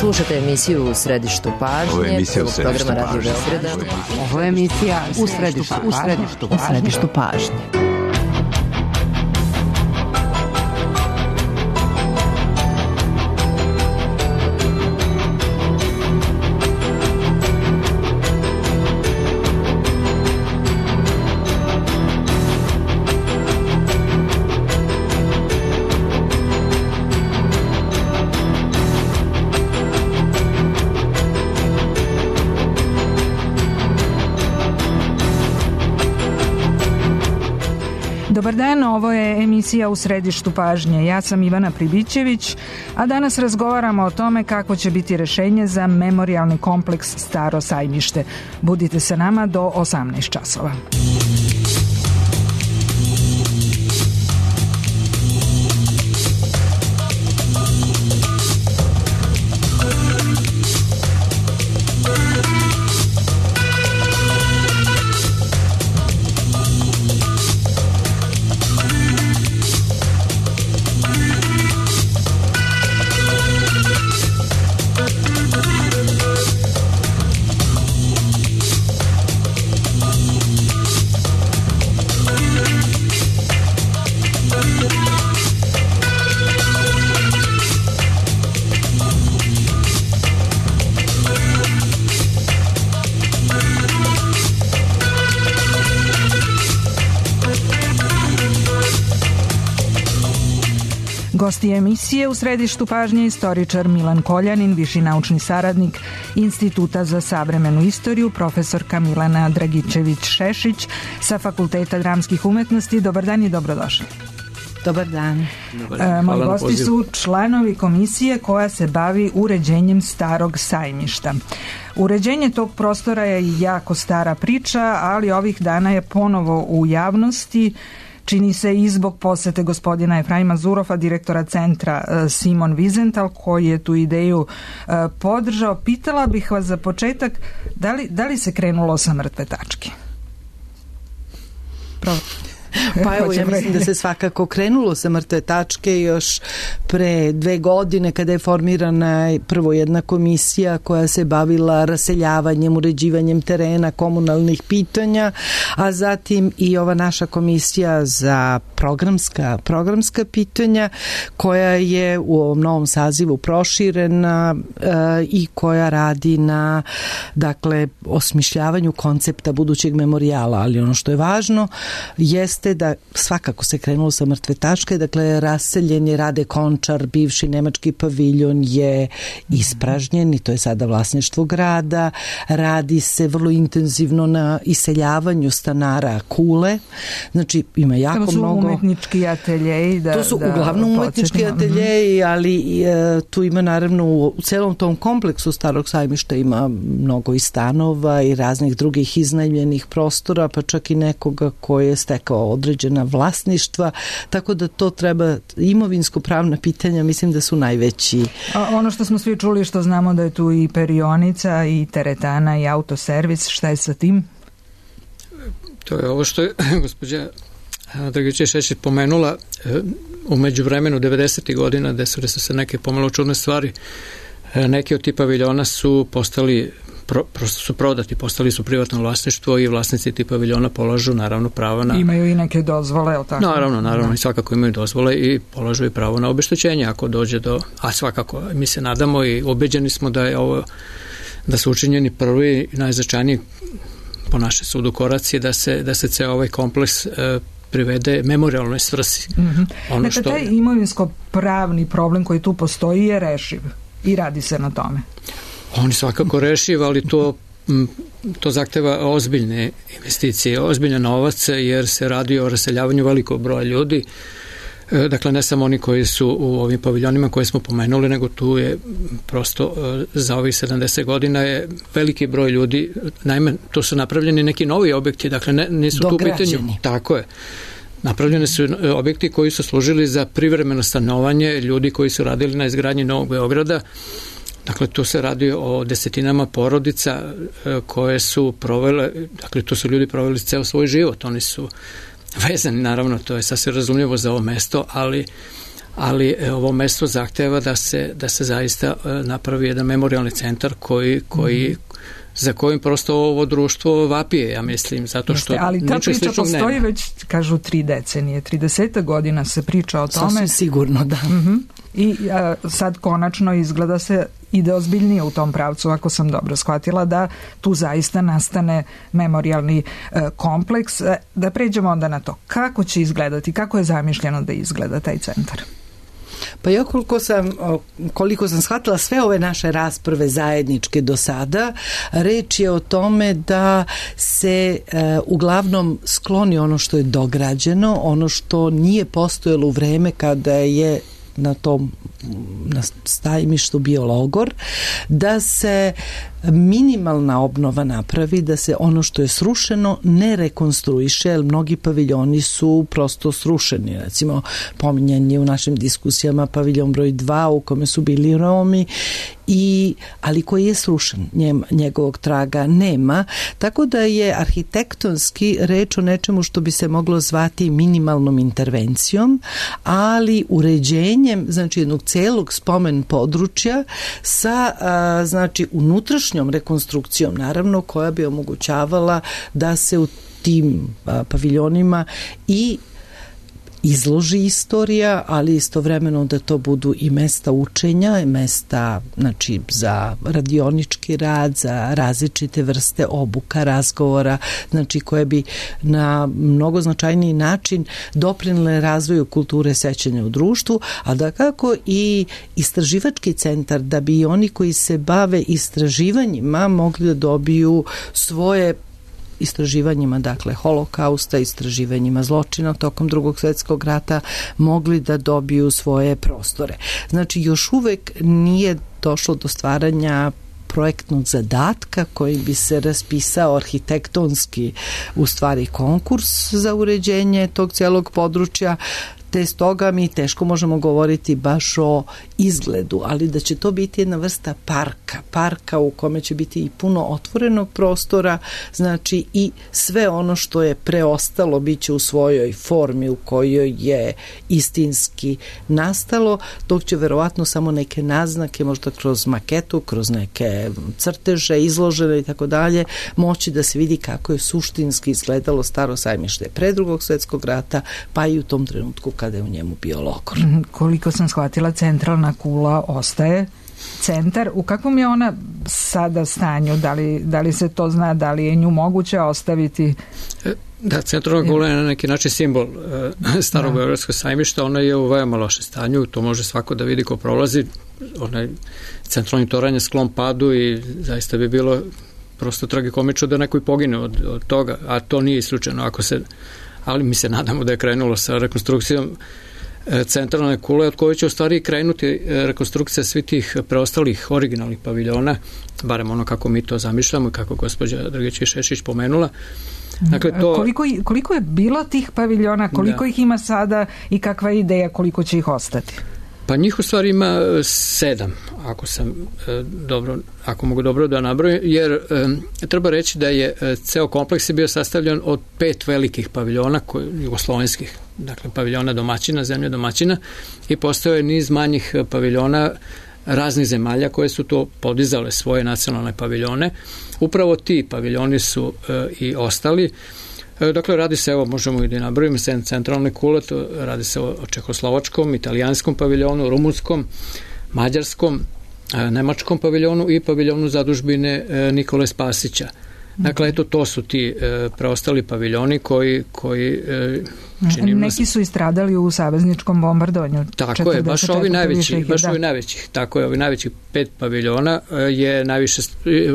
Slušate emisiju U središtu pažnje, prvog programa Radio Beograda. Ovo je emisija U središtu pažnje. Dobar dan, ovo je emisija U središtu pažnje. Ja sam Ivana Pribićević, a danas razgovaramo o tome kako će biti rešenje za memorijalni kompleks Staro sajmište. Budite sa nama do 18 časova. Gosti emisije U središtu pažnje istoričar Milan Koljanin, viši naučni saradnik Instituta za savremenu istoriju, profesorka Milana Dragičević-Šešić sa Fakulteta dramskih umetnosti. Dobar dan i dobrodošli. Dobar dan. Moji gosti su članovi komisije koja se bavi uređenjem Starog sajmišta. Uređenje tog prostora je jako stara priča, ali ovih dana je ponovo u javnosti. Čini se i zbog posete gospodina Efraima Zurofa, direktora centra Simon Wiesenthal, koji je tu ideju podržao. Pitala bih vas za početak, da li se krenulo sa mrtve tačke? Pa evo, ja mislim da se svakako krenulo sa mrtve tačke još pre 2 godine kada je formirana prvo jedna komisija koja se bavila raseljavanjem, uređivanjem terena, komunalnih pitanja, a zatim i ova naša komisija za programska pitanja koja je u ovom novom sazivu proširena i koja radi na, dakle, osmišljavanju koncepta budućeg memorijala, ali ono što je važno jeste da svakako se krenulo sa mrtve tačke, dakle raseljen je Rade Končar, bivši nemački paviljon je ispražnjen i to je sada vlasništvo grada, radi se vrlo intenzivno na iseljavanju stanara Kule, znači ima jako mnogo... To su umetnički ateljeji. To su uglavnom umetnički ateljeji, ali tu ima naravno u celom tom kompleksu Starog sajmišta ima mnogo i stanova i raznih drugih iznajmljenih prostora, pa čak i nekoga koji je stekao određena vlasništva, tako da to treba, imovinsko-pravna pitanja mislim da su najveći. A ono što smo svi čuli, što znamo da je tu i perionica i teretana i autoservis, šta je sa tim? To je ovo što je gospođa Dragičević-Šešić pomenula u međuvremenu 90. godina, desile su se neke pomalo čudne stvari. Neki od tih paviljona su postali prosto su prodati, postali su privatno vlasništvo i vlasnici tih paviljona polažu naravno pravo na... Imaju i neke dozvole, ali tako? Naravno, i svakako imaju dozvole i polažu i pravo na obeštećenje ako dođe do... A svakako, mi se nadamo i ubeđeni smo da je ovo, da su učinjeni prvi i najznačajniji po našem sudu koraci da se ceo ovaj kompleks privede memorijalnoj svrsi. Dakle, taj imovinsko-pravni problem koji tu postoji je rešiv i radi se na tome. On je svakako rešiv, ali to zahteva ozbiljne investicije, ozbiljan novac, jer se radi o raseljavanju velikog broja ljudi. Dakle, ne samo oni koji su u ovim paviljonima koje smo pomenuli, nego tu je prosto za ovih 70 godina je veliki broj ljudi, naime, tu su napravljeni neki novi objekti, dakle, nisu tu u pitanju. Tako je. Napravljeni su objekti koji su služili za privremeno stanovanje ljudi koji su radili na izgradnji Novog Beograda. Dakle, tu se radi o desetinama porodica koje su provele, dakle, tu su ljudi proveli ceo svoj život, oni su vezani, naravno, to je sasvim razumljivo za ovo mesto, ali ali ovo mesto zahteva da se zaista napravi jedan memorialni centar za kojim prosto ovo društvo vapije, ja mislim, zato što ali ta priča postoji već, kažu, 3 decenije, 30 godina se priča o tome. Sasvim sigurno, da. I sad konačno izgleda se ide ozbiljnije u tom pravcu, ako sam dobro shvatila, da tu zaista nastane memorijalni kompleks. Da pređemo onda na to. Kako će izgledati, kako je zamišljeno da izgleda taj centar? Pa ja koliko sam shvatila sve ove naše rasprave zajedničke do sada, reč je o tome da se uglavnom skloni ono što je dograđeno, ono što nije postojalo u vreme kada je na Sajmištu bio logor, da se minimalna obnova napravi, da se ono što je srušeno ne rekonstruiše, jer mnogi paviljoni su prosto srušeni. Recimo, pominjan je u našim diskusijama paviljon broj 2 u kome su bili Romi, ali koji je srušen, njegovog traga nema, tako da je arhitektonski reč o nečemu što bi se moglo zvati minimalnom intervencijom, ali uređenjem, znači, jednog celog spomen područja sa, znači, unutrašnjom rekonstrukcijom, naravno, koja bi omogućavala da se u tim paviljonima i izloži istorija, ali istovremeno da to budu i mesta učenja, mesta, znači, za radionički rad, za različite vrste obuka, razgovora, znači, koje bi na mnogo značajniji način doprinele razvoju kulture sećanja u društvu, a da kako i istraživački centar, da bi oni koji se bave istraživanjima mogli da dobiju svoje istraživanjima, dakle, holokausta, istraživanjima zločina tokom Drugog svjetskog rata, mogli da dobiju svoje prostore. Znači, još uvek nije došlo do stvaranja projektnog zadatka koji bi se raspisao arhitektonski, u stvari, konkurs za uređenje tog cijelog područja, te stoga mi teško možemo govoriti baš o izgledu, ali da će to biti jedna vrsta parka u kome će biti i puno otvorenog prostora, znači i sve ono što je preostalo bit će u svojoj formi u kojoj je istinski nastalo, dok će verovatno samo neke naznake, možda kroz maketu, kroz neke crteže izložene i tako dalje, moći da se vidi kako je suštinski izgledalo Staro Sajmište pre Drugog svjetskog rata, pa i u tom trenutku kada je u njemu bio logor. Koliko sam shvatila, centralna kula ostaje centar. U kakvom je ona sada stanju? Da li se to zna? Da li je nju moguće ostaviti? Da, centralna kula je na neki način simbol Starog Beogradskog sajmišta. Ona je u veoma loše stanju. To može svako da vidi ko prolazi. Onaj centralni toranj je sklon padu i zaista bi bilo prosto tragikomično da neko i pogine od toga, a to nije isključeno ali mi se nadamo da je krenulo sa rekonstrukcijom centralne kule, od koje će u stvari krenuti rekonstrukcija svih tih preostalih originalnih paviljona, barem ono kako mi to zamišljamo i kako gospođa Drgić-Šešić pomenula. Dakle, koliko je bilo tih paviljona, koliko ih ima sada i kakva je ideja koliko će ih ostati? Pa njih u stvari ima 7, ako mogu dobro da nabrojim, jer treba reći da je ceo kompleks je bio sastavljen od 5 velikih paviljona, jugoslovenskih, dakle paviljona domaćina, zemlje domaćina, i postojao je niz manjih paviljona raznih zemalja koje su to podizale svoje nacionalne paviljone. Upravo ti paviljoni su i ostali. Dakle, radi se, evo, možemo i da nabrojimo centralne kule, radi se o čehoslovačkom, italijanskom paviljonu, rumunskom, mađarskom, nemačkom paviljonu i paviljonu zadužbine Nikole Spasića. Dakle, eto, to su ti preostali paviljoni koji neki su istradali u savezničkom bombardovanju. Tako je, baš ovi najvećih. Tako je, ovi najvećih 5 paviljona je najviše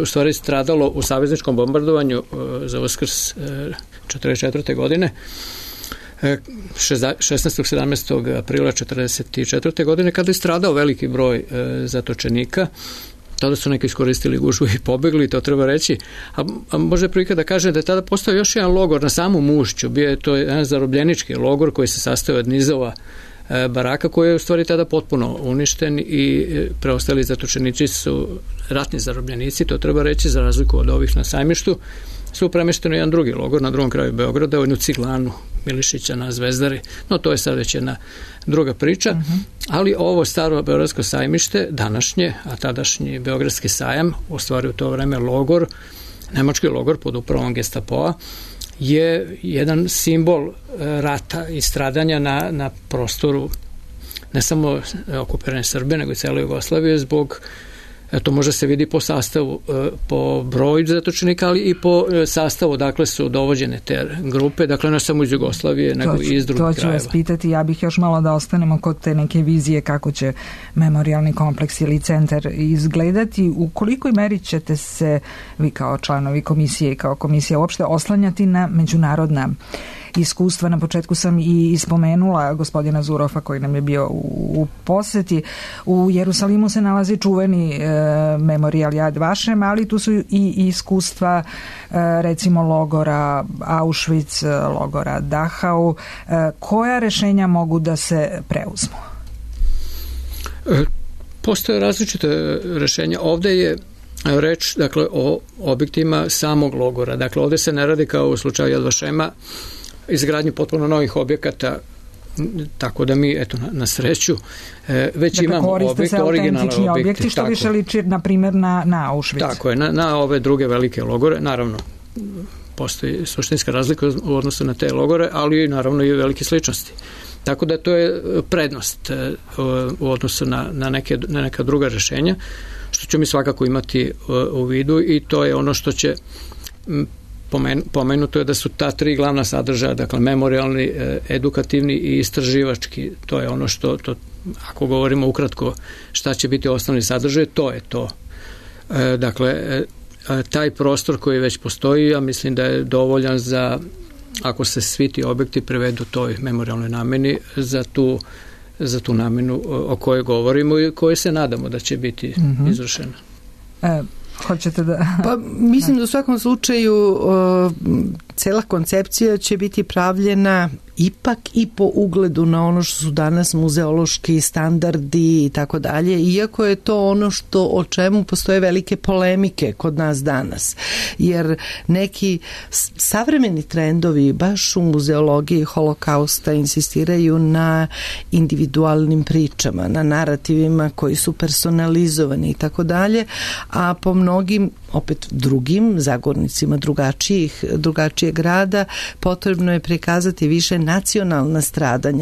u stvari stradalo u savezničkom bombardovanju za Uskrs 1944. godine. 16. 17. aprila 1944. godine, kada je stradao veliki broj zatočenika. Tada su neki iskoristili gužvu i pobegli, to treba reći. A može prilika da kaže da je tada postao još jedan logor na samom ušću. Bio je to jedan zarobljenički logor koji se sastoji od nizova baraka, koji je u stvari tada potpuno uništen i preostali zatočenici su ratni zarobljenici, to treba reći, za razliku od ovih na sajmištu. su premešteni u jedan drugi logor na drugom kraju Beograda, u jednu ciglanu Milišića na Zvezdari, no to je sad već jedna druga priča, ali ovo staro beogradsko sajmište, današnje, a tadašnji beogradski sajam, u stvari u to vreme logor, nemački logor pod upravom Gestapoa, je jedan simbol rata i stradanja na prostoru ne samo okupirane Srbije, nego i cele Jugoslavije zbog, to može se vidi po sastavu, po broju zatočenika, ali i po sastavu, dakle su dovođene te grupe, dakle ne samo iz Jugoslavije, nego i iz drugih krajeva. To ću vas pitati, ja bih još malo da ostanemo kod te neke vizije kako će memorijalni kompleks ili centar izgledati. U kolikoj meri ćete se, vi kao članovi komisije i kao komisija uopšte, oslanjati na međunarodna iskustva? Na početku sam i spomenula gospodina Zurofa koji nam je bio u poseti. U Jerusalimu se nalazi čuveni memorijal Yad Vashem, ali tu su i iskustva recimo logora Auschwitz, logora Dachau. Koja rešenja mogu da se preuzmu? Postoje različite rešenja. Ovde je reč, dakle, o objektima samog logora. Dakle, ovde se ne radi kao u slučaju Yad Vashema izgradnju potpuno novih objekata, tako da mi, eto, na sreću, već imamo objekte, originalne objekte. Što više liči, na primjer, na Auschwitz. Tako je, na ove druge velike logore, naravno, postoji suštinska razlika u odnosu na te logore, ali naravno i velike sličnosti. Tako da to je prednost u odnosu na neka druga rešenja, što ćemo mi svakako imati u vidu, i to je ono što će pomenuto je da su ta tri glavna sadržaja, dakle memorijalni, edukativni i istraživački. To je ono što, ako govorimo ukratko šta će biti osnovni sadržaj, to je to. Dakle, taj prostor koji već postoji, ja mislim da je dovoljan za, ako se svi ti objekti prevedu toj memorijalnoj nameni, za tu namenu o kojoj govorimo i koje se nadamo da će biti izvršena. Hoćete da... Pa mislim da u svakom slučaju cela koncepcija će biti pravljena ipak i po ugledu na ono što su danas muzeološki standardi i tako dalje, iako je to ono o čemu postoje velike polemike kod nas danas. Jer neki savremeni trendovi baš u muzeologiji holokausta insistiraju na individualnim pričama, na narativima koji su personalizovani i tako dalje, a po mnogim opet drugim zagornicima drugačijeg grada potrebno je prikazati više nacionalna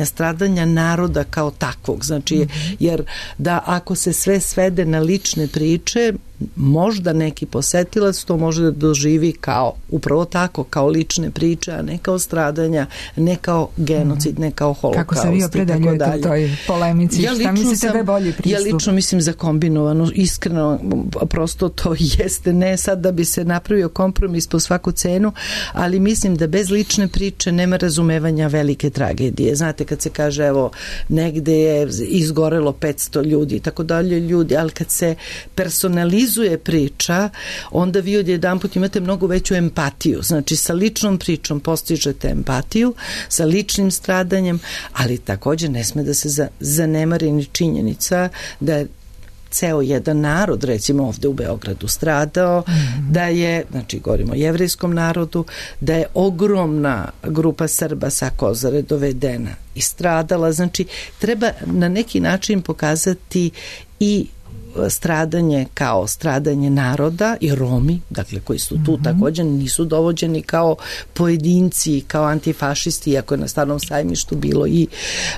stradanja naroda kao takvog. Znači, jer da ako se sve svede na lične priče, možda neki posetilac to može da doživi kao, upravo tako, kao lične priče, a ne kao stradanja, ne kao genocid, ne kao holokaust. Kako se vi opredeljujete u toj polemici? Šta mislite da je bolji pristup? Ja lično mislim za kombinovano, iskreno, prosto to jeste, ne sad da bi se napravio kompromis po svaku cenu, ali mislim da bez lične priče nema razumevanja velike tragedije. Znate, kad se kaže, evo, negde je izgorelo 500 ljudi, tako dalje ljudi, ali kad se personalizuje priča, onda vi odjedanput imate mnogo veću empatiju. Znači, sa ličnom pričom postižete empatiju, sa ličnim stradanjem, ali također ne sme da se zanemari ni činjenica da je ceo jedan narod, recimo ovde u Beogradu, stradao, da je, znači govorimo o jevrejskom narodu, da je ogromna grupa Srba sa Kozare dovedena i stradala. Znači, treba na neki način pokazati i stradanje kao stradanje naroda i Romi, dakle koji su tu također nisu dovođeni kao pojedinci, kao antifašisti, iako je na Starom sajmištu bilo i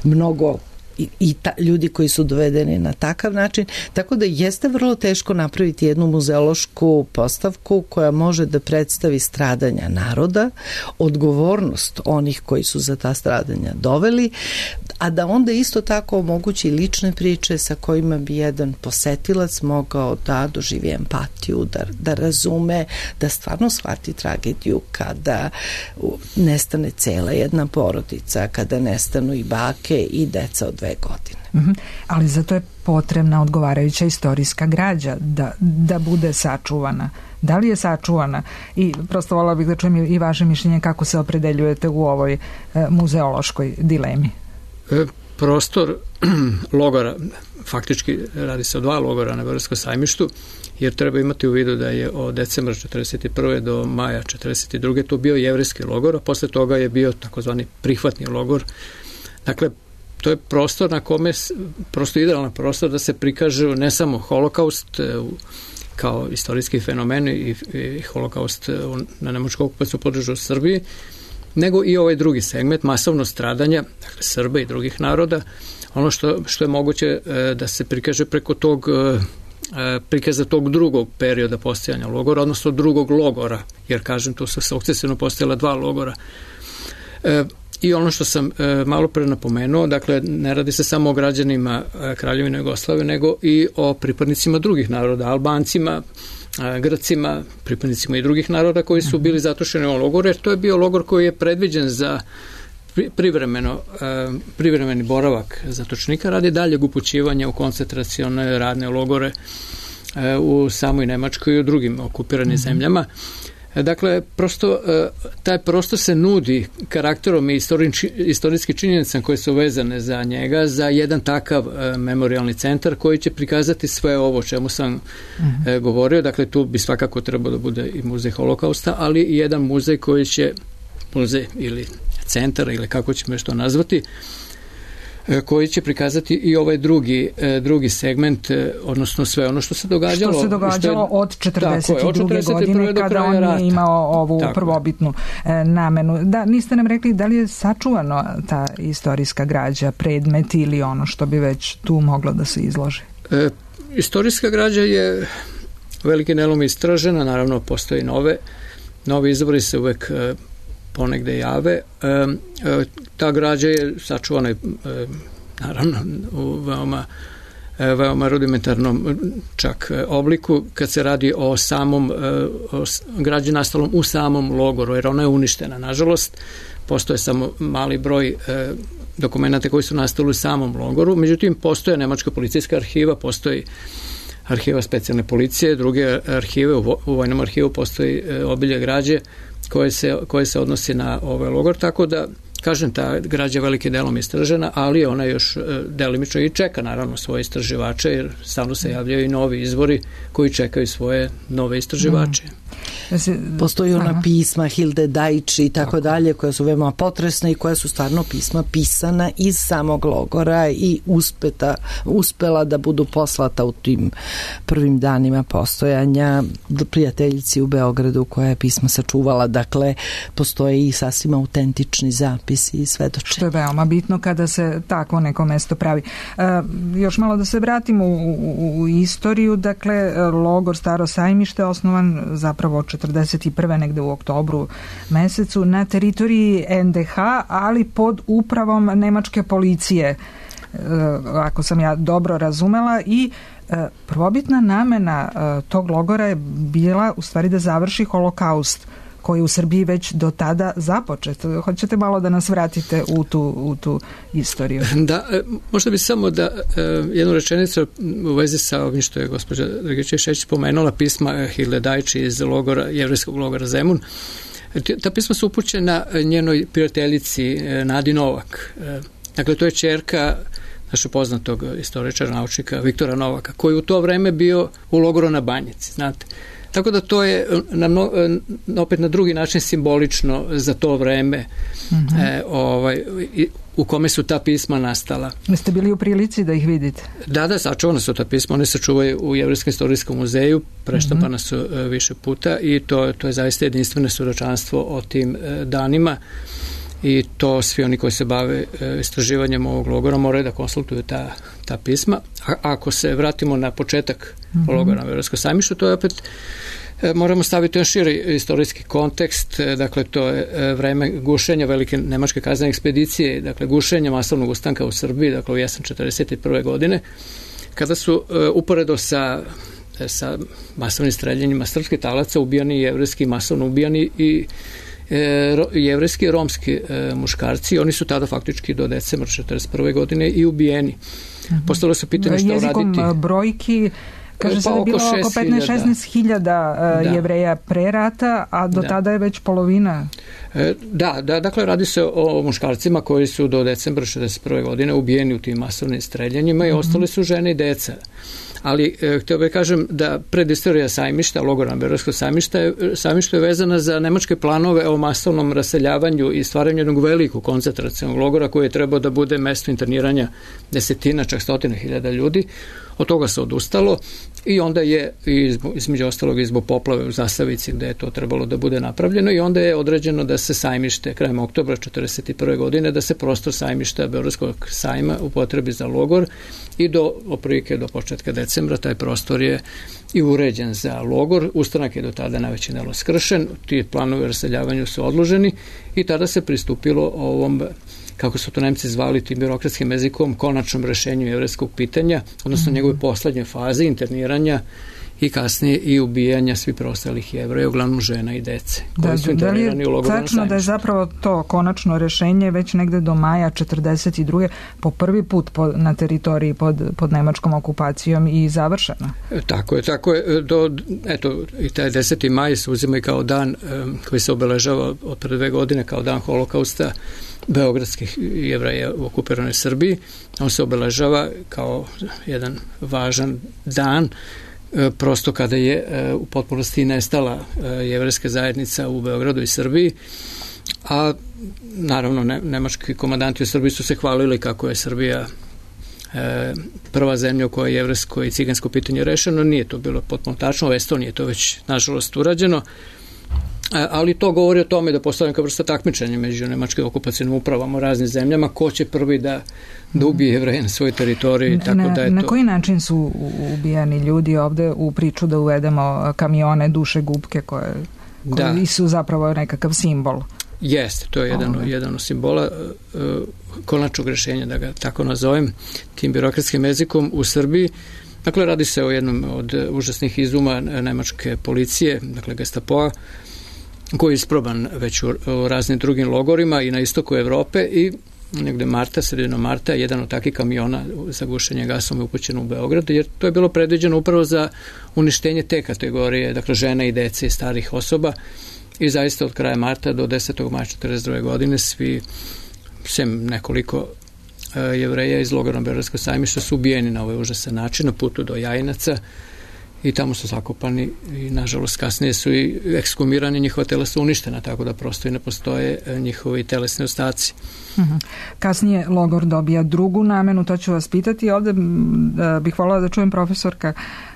mnogo ljudi koji su dovedeni na takav način, tako da jeste vrlo teško napraviti jednu muzeološku postavku koja može da predstavi stradanja naroda, odgovornost onih koji su za ta stradanja doveli, a da onda isto tako omogući lične priče sa kojima bi jedan posetilac mogao da doživi empatiju, da razume, da stvarno shvati tragediju kada nestane cela jedna porodica, kada nestanu i bake i deca od 2 godine. Ali zato je potrebna odgovarajuća istorijska građa da bude sačuvana. Da li je sačuvana? I prosto voljela bih da čujem i vaše mišljenje kako se opredeljujete u ovoj muzeološkoj dilemi. prostor logora, faktički radi se o 2 logora na Beogradskom sajmištu, jer treba imati u vidu da je od decembra 1941. do maja 1942. to bio jevrejski logor, a posle toga je bio takozvani prihvatni logor. Dakle, to je prostor na kome, prosto idealan prostor da se prikaže ne samo holokaust kao istorijski fenomen i holokaust na nemačku okupaciju području u Srbiji, nego i ovaj drugi segment, masovno stradanja, dakle Srba i drugih naroda, ono što je moguće da se prikaže preko tog prikaza tog drugog perioda postojanja logora, odnosno drugog logora, jer kažem, tu su sukcesivno postojala 2 logora. I ono što sam malo pre napomenuo, dakle, ne radi se samo o građanima Kraljevine Jugoslavije, nego i o pripadnicima drugih naroda, Albancima, Grcima, pripadnicima i drugih naroda koji su bili zatočeni u logoru, jer to je bio logor koji je predviđen za privremeni boravak zatočenika radi daljeg upućivanja u koncentracione radne logore u samoj Nemačkoj i u drugim okupiranim zemljama. Dakle, prosto taj prostor se nudi karakterom i istorijski činjenicama koje su vezane za njega, za jedan takav memorialni centar koji će prikazati sve ovo o čemu sam govorio. Dakle, tu bi svakako trebao da bude i muzej holokausta, ali i jedan muzej koji će, muzej ili centar ili kako ćemo još to nazvati, koji će prikazati i ovaj drugi segment, odnosno sve ono što se događalo. Što se događalo od 42. godine kada on je imao ovu prvobitnu namenu. Da, niste nam rekli da li je sačuvano ta istorijska građa, predmet ili ono što bi već tu moglo da se izloži? Istorijska građa je velikim delom istražena, naravno postoji novi izvori se uvek ponegde jave. Ta građa je sačuvana naravno u veoma rudimentarnom čak obliku kad se radi o samom građi nastalom u samom logoru, jer ona je uništena. Nažalost, postoje samo mali broj dokumenta koji su nastali u samom logoru, međutim postoje nemačka policijska arhiva, postoji arhiva specijalne policije, druge arhive, u vojnom arhivu postoji obilje građe koje se odnosi na ovaj logor, tako da, kažem, ta građa veliki delom istražena, ali ona još delimično i čeka naravno svoje istraživače, jer stalno se javljaju i novi izvori koji čekaju svoje nove istraživače. Postoji ona pisma Hilde Dajči i tako dalje, koja su veoma potresna i koja su stvarno pisma pisana iz samog logora i uspela da budu poslata u tim prvim danima postojanja prijateljici u Beogradu koja je pisma sačuvala. Dakle, postoje i sasvim autentični zapisi i svedočenja. Što je veoma bitno kada se tako neko mesto pravi. Još malo da se vratimo u istoriju. Dakle, logor Staro sajmište je osnovan zapravo 41. negde u oktobru mesecu na teritoriji NDH, ali pod upravom nemačke policije, ako sam ja dobro razumela, i prvobitna namena tog logora je bila u stvari da završi holokaust koji je u Srbiji već do tada započet. Hoćete malo da nas vratite u tu istoriju? Da, možda bi samo da jednu rečenicu u vezi sa ovim što je gospođa Dragičević pomenula, pisma Hilde Dajči iz jevrejskog logora Zemun. Ta pisma su upućena njenoj prijateljici Nadi Novak. Dakle, to je ćerka našeg poznatog istoričara, naučnika Viktora Novaka, koji u to vreme bio u logoru na Banjici, znate. Tako da to je opet na drugi način simbolično za to vreme u kome su ta pisma nastala. Jeste bili u prilici da ih vidite? Da, sačuvana su ta pisma, one se čuvaju u Jevrejskom istorijskom muzeju, preštampana su više puta i to je zaista jedinstveno svedočanstvo o tim danima i to svi oni koji se bave istraživanjem ovog logora moraju da konsultuju ta pisma. Ako se vratimo na početak logora na Beogradskom sajmištu, to je opet moramo staviti još širi istorijski kontekst, dakle to je vreme gušenja velike nemačke kaznene ekspedicije, dakle gušenja masovnog ustanka u Srbiji, dakle u jesen 41. godine, kada su uporedo sa masovnim streljanjima srpskih talaca ubijani jevrejski, masovno ubijani i jevrejski i romski muškarci. Oni su tada faktički do decembra 41. godine i ubijeni. Postavilo se pitanje što jezikom raditi. Brojki Kaže se da je bilo oko 15-16 hiljada Jevreja pre rata, a do tada je već polovina. Dakle radi se o muškarcima koji su do decembra 1961. godine ubijeni u tim masovnim streljanjima i ostali su žene i deca. Ali htio bih kažem da predistorija Sajmišta, logora Beogradskog sajmišta je vezana za nemačke planove o masovnom raseljavanju i stvaranju jednog velikog koncentracionog logora koji je trebao da bude mesto interniranja desetina, čak stotina hiljada ljudi. Od toga se odustalo i onda je između ostalog i zbog poplave u Zasavici gde je to trebalo da bude napravljeno i onda je određeno da se Sajmište krajem oktobra 1941. godine da se prostor Sajmišta Beogradskog sajma upotrebi za logor i do početka decembra taj prostor je i uređen za logor. Ustanak je do tada najveći delo skršen, ti planovi o raseljavanju su odloženi i tada se pristupilo ovom, kako su to Nemci zvali tim birokratskim jezikom, konačnom rešenju jevrejskog pitanja, odnosno njegove poslednje faze interniranja i kasnije i ubijanja svih preostalih Jevreja, uglavnom žena i dece, koji su internirani u logoru na Sajmištu. Da je zapravo to konačno rešenje već negde do maja 1942. po prvi put na teritoriji pod nemačkom okupacijom i završeno? Tako je. I taj 10. maj se uzima i kao dan koji se obeležava od pre 2 godine kao dan holokausta beogradskih Jevreja u okupiranoj Srbiji. On se obeležava kao jedan važan dan prosto kada je u potpunosti nestala jevrejska zajednica u Beogradu i Srbiji, a naravno nemački komandanti u Srbiji su se hvalili kako je Srbija prva zemlja u kojoj je jevrejsko i cigansko pitanje rešeno. Nije to bilo potpuno tačno, u Estoniji je to već nažalost urađeno, ali to govori o tome da postoji neka vrsta takmičenja među nemačkim okupacionim upravama u raznim zemljama, ko će prvi da ubije Jevreje na svojoj teritoriji. Na koji način su ubijani ljudi ovde u priču da uvedemo kamione duše gubke koji su zapravo nekakav simbol? Jeste, to je jedan od simbola konačnog rešenja, da ga tako nazovem, tim birokratskim jezikom u Srbiji. Dakle, radi se o jednom od užasnih izuma nemačke policije, dakle Gestapoa, koji je isproban već u raznim drugim logorima i na istoku Evrope i negde sredinom marta, jedan od takih kamiona za gušenje gasom je upućen u Beograd, jer to je bilo predviđeno upravo za uništenje te kategorije, dakle žena i dece i starih osoba i zaista od kraja marta do 10. maja 1942. godine svi, sem nekoliko Jevreja iz logora Beogradskog sajmišta su ubijeni na ovaj užasan način na putu do Jajinaca i tamo su zakopani i nažalost kasnije su i ekshumirani, njihova tela su uništena, tako da prosto i ne postoje njihovi telesni ostaci. Kasnije logor dobija drugu namenu, to ću vas pitati. Ovde bih voljela da čujem, profesorka,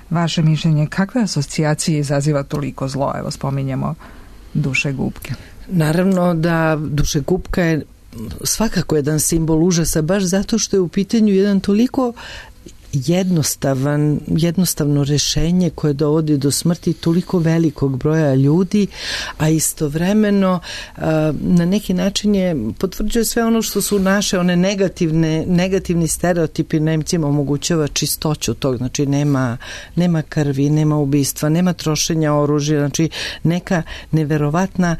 vaše mišljenje. Kakve asocijacije izaziva toliko zlo? Evo, spominjemo dušegupke. Naravno da dušegupka je svakako jedan simbol užasa, baš zato što je u pitanju jedan toliko jednostavno rešenje koje dovodi do smrti toliko velikog broja ljudi, a istovremeno na neki način potvrđuje sve ono što su naše one negativni stereotipi. Nemcima omogućava čistoću tog, znači nema krvi, nema ubistva, nema trošenja oružja, znači neka neverovatna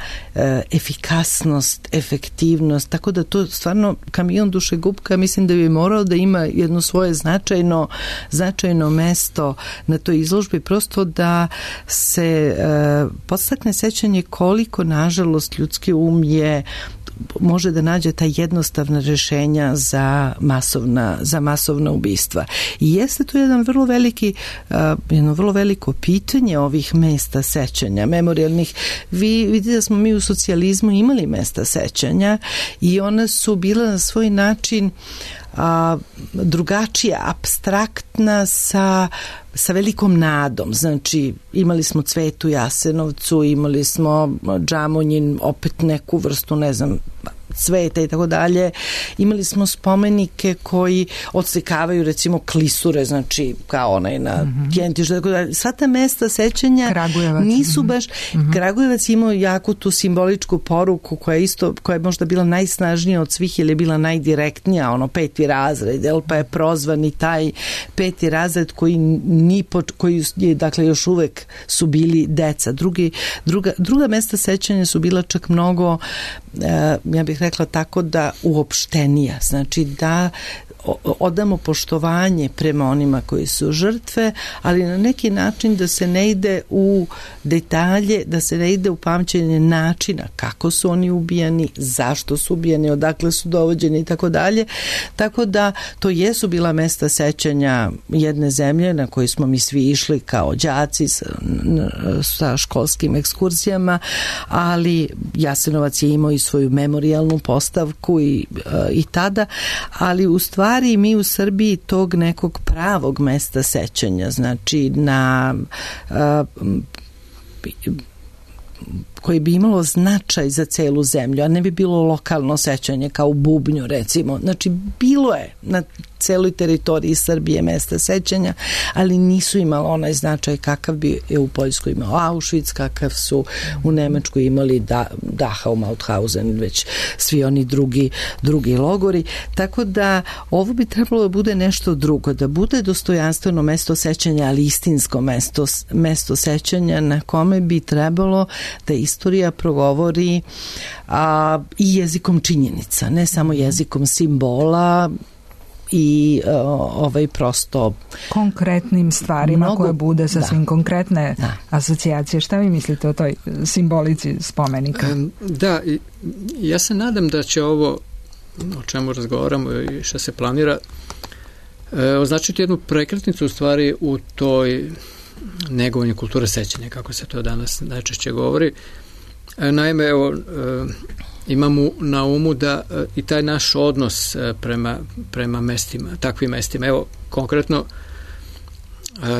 efikasnost, efektivnost, tako da to stvarno kamion dušegupka mislim da bi morao da ima jedno svoje značajno mesto na toj izložbi, prosto da se podstakne sećanje koliko nažalost ljudski um može da nađe ta jednostavna rešenja za masovna ubistva. I jeste to jedno vrlo veliko pitanje ovih mesta sećanja, memorijalnih. Vi vidite da smo mi u socijalizmu imali mesta sećanja i ona su bila na svoj način drugačija, apstraktna sa velikom nadom. Znači, imali smo Cvet u Jasenovcu, imali smo Džamonjin, opet neku vrstu, ne znam, cveta i tako dalje. Imali smo spomenike koji odslikavaju recimo klisure, znači kao onaj na Kjentišu, tako dalje. Sva ta mesta sećanja Kragujevac. Nisu baš... Kragujevac imao jako tu simboličku poruku koja je možda bila najsnažnija od svih ili je bila najdirektnija, 5. razred, pa je prozvan i taj 5. razred koji dakle još uvek su bili deca. Druga mesta sećanja su bila čak mnogo, ja bih rekla tako, da uopštenija, znači da odamo poštovanje prema onima koji su žrtve, ali na neki način da se ne ide u detalje, da se ne ide u pamćenje načina kako su oni ubijani, zašto su ubijani, odakle su dovođeni i tako dalje. Tako da to jesu bila mesta sećanja jedne zemlje na koji smo mi svi išli kao đaci sa školskim ekskurzijama, ali Jasenovac je imao i svoju memorijalnu postavku i tada, ali u stvari mi u Srbiji tog nekog pravog mesta sećanja, znači na koji bi imalo značaj za celu zemlju, a ne bi bilo lokalno sećanje kao u Bubnju recimo. Znači bilo je na celoj teritoriji Srbije mesta sećanja, ali nisu imala onaj značaj kakav bi je u Poljskoj imao Auschwitz, kakav su u Nemačkoj imali Dachau, Mauthausen, već svi oni drugi logori. Tako da ovo bi trebalo da bude nešto drugo, da bude dostojanstveno mesto sećanja, ali istinsko mesto sećanja na kome bi trebalo da istorija progovori i jezikom činjenica, ne samo jezikom simbola i prosto konkretnim stvarima koje bude sasvim konkretne asocijacije. Šta vi mislite o toj simbolici spomenika? Da, ja se nadam da će ovo o čemu razgovaramo i što se planira označiti jednu prekretnicu u stvari u toj negovanju kulture sećanja, kako se to danas najčešće govori. Naime, evo, imamo na umu da i taj naš odnos prema mestima, takvim mestima. Evo, konkretno,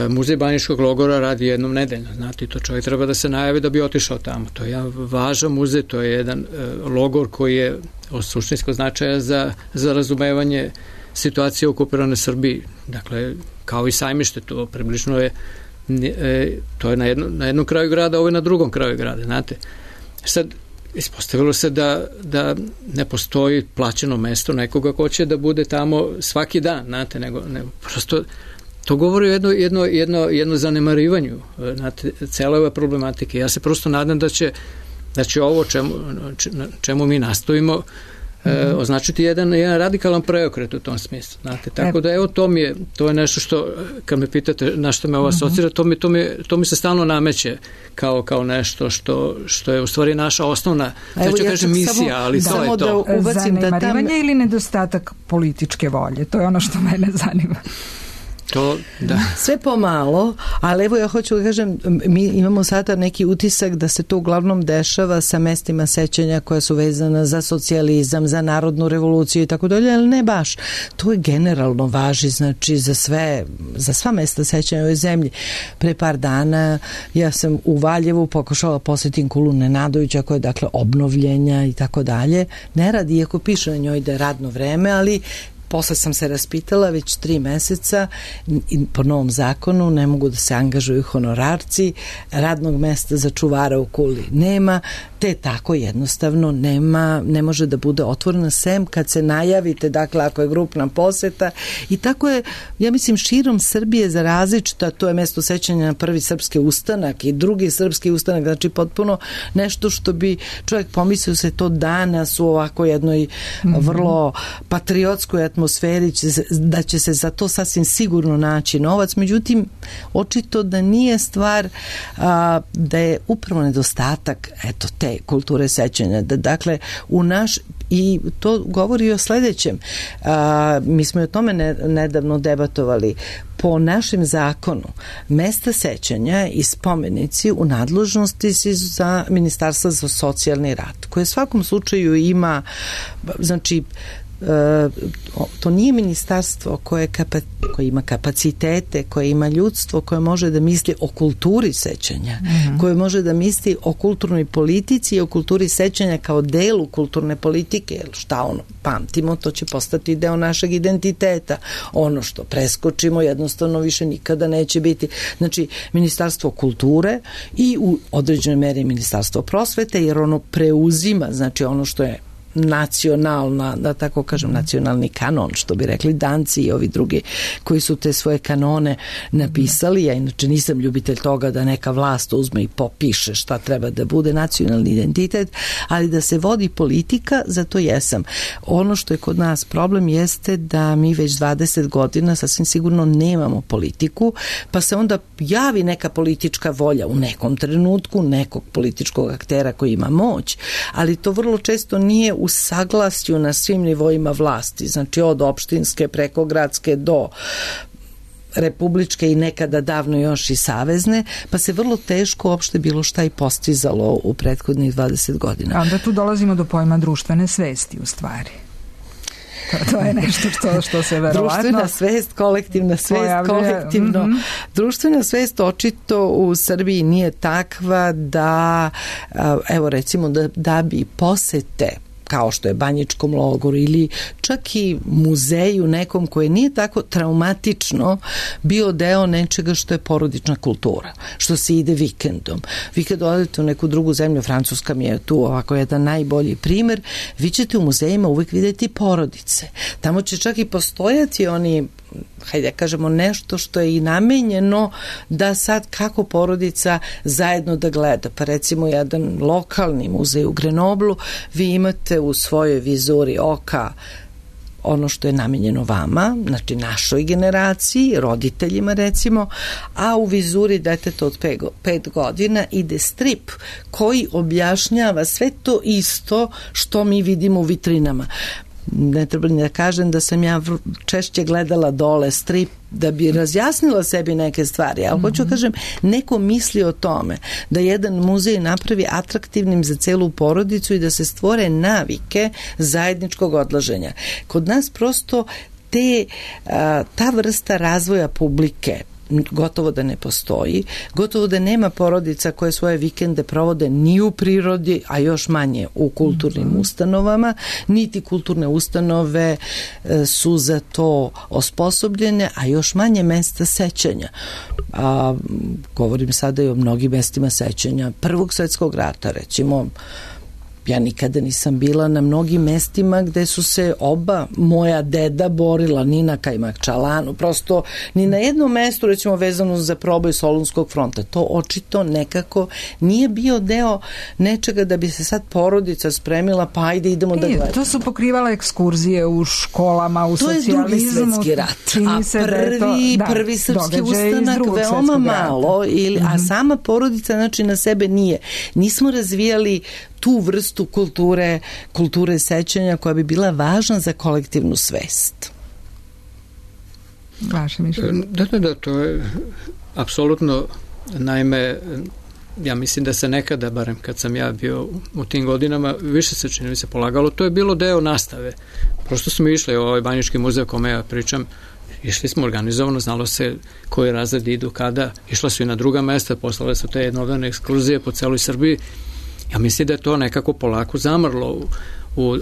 Muzej Banjiškog logora radi jednom nedeljno, znate, to čovjek treba da se najavi da bi otišao tamo. To je jedan važan muzej, to je jedan logor koji je od suštinskog značaja za razumevanje situacije u okupiranoj Srbiji. Dakle, kao i Sajmište, to približno je to je na jednom kraju grada, ovo je na drugom kraju grada, znate. Sad, ispostavilo se da ne postoji plaćeno mesto nekoga ko će da bude tamo svaki dan, znate, nego prosto to govori o jedno zanemarivanju, znate, cele ove problematike. Ja se prosto nadam da će ovo čemu mi nastojimo označiti jedan radikalan preokret u tom smislu, znate, tako da evo to je nešto što, kad me pitate na što me ovo asocira, to mi se stalno nameće kao nešto što je u stvari naša osnovna, neću kažem misija, ali to je to. Zanemarivanje ili nedostatak političke volje, to je ono što mene zanima. To, da. Sve pomalo, ali evo ja hoću da kažem, mi imamo sada neki utisak da se to uglavnom dešava sa mestima sećanja koja su vezana za socijalizam, za narodnu revoluciju i tako dalje, ali ne baš. To je generalno važi, znači za sva mesta sećanja u ovoj zemlji. Pre par dana ja sam u Valjevu pokušala posjetim kulu Nenadovića koja je dakle obnovljenja i tako dalje. Ne radi, iako piše na njoj da je radno vreme, ali posle sam se raspitala, već 3 meseca po novom zakonu ne mogu da se angažuju honorarci, radnog mesta za čuvara u kuli nema, te tako jednostavno ne može da bude otvorena sem kad se najavite, dakle ako je grupna poseta, i tako je, ja mislim, širom Srbije za različita, to je mesto sećanja na prvi srpski ustanak i drugi srpski ustanak, znači potpuno nešto što bi čovjek pomislio se to danas u ovako jednoj vrlo patriotskoj atmosferi, da će se za to sasvim sigurno naći novac, međutim očito da nije stvar da je upravo nedostatak te kulture sećanja, da dakle u naš, i to govori o sledećem, mi smo o tome nedavno debatovali, po našem zakonu mesta sećanja i spomenici u nadležnosti su za Ministarstvo za socijalni rad, koje u svakom slučaju ima, znači to nije ministarstvo koje ima kapacitete, koje ima ljudstvo, koje može da misli o kulturi sećanja, koje može da misli o kulturnoj politici i o kulturi sećanja kao delu kulturne politike, jer šta pamtimo, to će postati deo našeg identiteta. Ono što preskočimo jednostavno više nikada neće biti. Znači, Ministarstvo kulture i u određenoj meri Ministarstvo prosvete, jer ono preuzima, znači ono što je nacionalna, da tako kažem, nacionalni kanon, što bi rekli Danci i ovi drugi koji su te svoje kanone napisali. Ja inače nisam ljubitelj toga da neka vlast uzme i popiše šta treba da bude nacionalni identitet, ali da se vodi politika, zato jesam. Ono što je kod nas problem jeste da mi već 20 godina sasvim sigurno nemamo politiku, pa se onda javi neka politička volja u nekom trenutku, nekog političkog aktera koji ima moć, ali to vrlo često nije u saglasju na svim nivoima vlasti, znači od opštinske preko gradske do republičke i nekada davno još i savezne, pa se vrlo teško uopšte bilo šta i postizalo u prethodnih 20 godina. A onda tu dolazimo do pojma društvene svesti u stvari. To je nešto što se verovatno... Društvena svest, kolektivna svest, kolektivno. Društvena svest očito u Srbiji nije takva da, evo recimo, da bi posete kao što je Banjičkom logoru ili čak i muzeju nekom koje nije tako traumatično bio deo nečega što je porodična kultura, što se ide vikendom. Vi kad odete u neku drugu zemlju, Francuska mi je tu ovako jedan najbolji primer, vi ćete u muzejima uvek vidjeti porodice. Tamo će čak i postojati oni, hajde kažemo, nešto što je i namenjeno da sad kako porodica zajedno da gleda. Pa recimo jedan lokalni muzej u Grenoblu, vi imate u svojoj vizuri oka ono što je namenjeno vama, znači našoj generaciji, roditeljima recimo, a u vizuri deteta od 5 godina ide strip koji objašnjava sve to isto što mi vidimo u vitrinama. Ne treba ni da kažem da sam ja češće gledala dole strip da bi razjasnila sebi neke stvari, ali hoću kažem, neko misli o tome da jedan muzej napravi atraktivnim za celu porodicu i da se stvore navike zajedničkog odlaženja. Kod nas prosto ta vrsta razvoja publike gotovo da ne postoji, gotovo da nema porodica koje svoje vikende provode ni u prirodi, a još manje u kulturnim ustanovama, niti kulturne ustanove su za to osposobljene, a još manje mesta sećanja. Govorim sada i o mnogim mestima sećanja Prvog svjetskog rata, recimo. Ja nikada nisam bila na mnogim mestima gde su se oba moja deda borila, ni na Kajmakčalanu, prosto ni na jednom mestu, recimo vezano za proboj Solunskog fronta. To očito nekako nije bio deo nečega da bi se sad porodica spremila, pa ajde idemo da gledamo. To su pokrivala ekskurzije u školama, u socijalizmu. To je Drugi svetski rat, a prvi srpski ustanak veoma malo, a sama porodica znači na sebe nije. Nismo razvijali tu vrstu kulture sećanja koja bi bila važna za kolektivnu svest. Vaše mišljenje? Da, to je apsolutno, naime, ja mislim da se nekada, barem kad sam ja bio u tim godinama, više se čini mi se polagalo, to je bilo deo nastave. Prosto smo išli u ovaj Banjički muzej o kome ja pričam, išli smo organizovano, znalo se koji razredi idu kada, išla su i na druga mesta, poslale su te jednodnevne ekskurzije po celoj Srbiji. Ja mislim da je to nekako polako zamrlo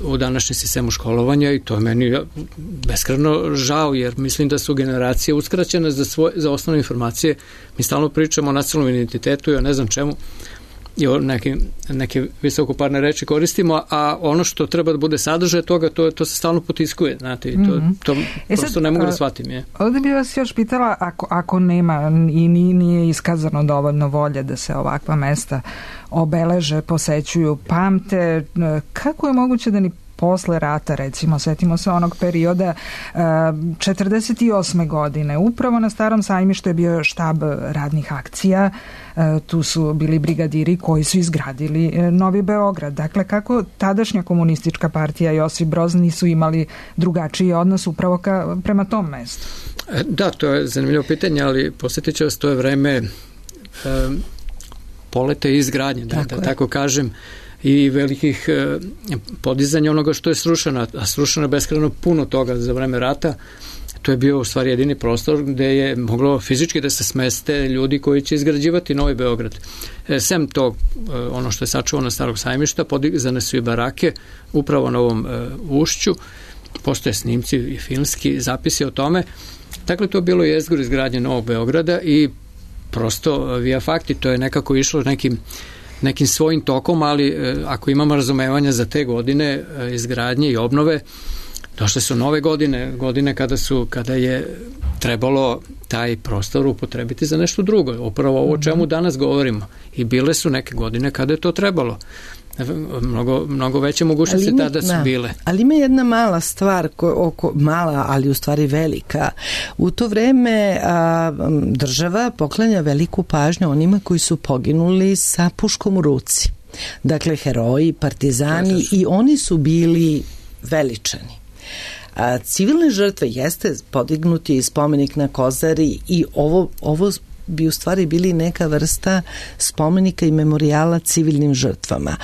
u današnjem sistemu školovanja i to je meni beskrajno žao, jer mislim da su generacije uskraćene za osnovne informacije. Mi stalno pričamo o nacionalnom identitetu i o ne znam čemu i o neke visokoparne reči koristimo, a ono što treba da bude sadržaj toga, to se stalno potiskuje, znate, i to prosto ne mogu da shvatim. Ovdje bih vas još pitala, ako nema i nije iskazano dovoljno volje da se ovakva mesta obeleže, posećuju, pamte, kako je moguće da ni posle rata, recimo, setimo se onog perioda 48. godine, upravo na Starom sajmištu je bio štab radnih akcija, tu su bili brigadiri koji su izgradili Novi Beograd. Dakle, kako tadašnja komunistička partija Josip Broz nisu imali drugačiji odnos upravo prema tom mestu? Da, to je zanimljivo pitanje, ali posjetit ću vas, to je vreme poleta i izgradnje, da tako kažem, i velikih podizanja onoga što je srušeno, a srušeno je beskrajno puno toga za vreme rata. To je bio u stvari jedini prostor gde je moglo fizički da se smeste ljudi koji će izgrađivati Novi Beograd. Sem tog, ono što je sačuvano Starog sajmišta, podizane su i barake upravo na ovom ušću, postoje snimci i filmski zapisi o tome. Dakle, to je bilo jezgro izgradnje Novog Beograda i prosto via fakti, to je nekako išlo nekim nekim svojim tokom, ali ako imamo razumevanja za te godine izgradnje i obnove, došle su nove godine kada je trebalo taj prostor upotrebiti za nešto drugo. Upravo ovo o čemu danas govorimo. I bile su neke godine kada je to trebalo. Mnogo veće mogućnosti tada su bile. Ali ima jedna mala stvar, mala, ali u stvari velika. U to vreme država poklanja veliku pažnju onima koji su poginuli sa puškom u ruci. Dakle, heroji, partizani, i oni su bili veličani. Civilne žrtve jeste podignuti i spomenik na Kozari i ovo bi u stvari bili neka vrsta spomenika i memorijala civilnim žrtvama.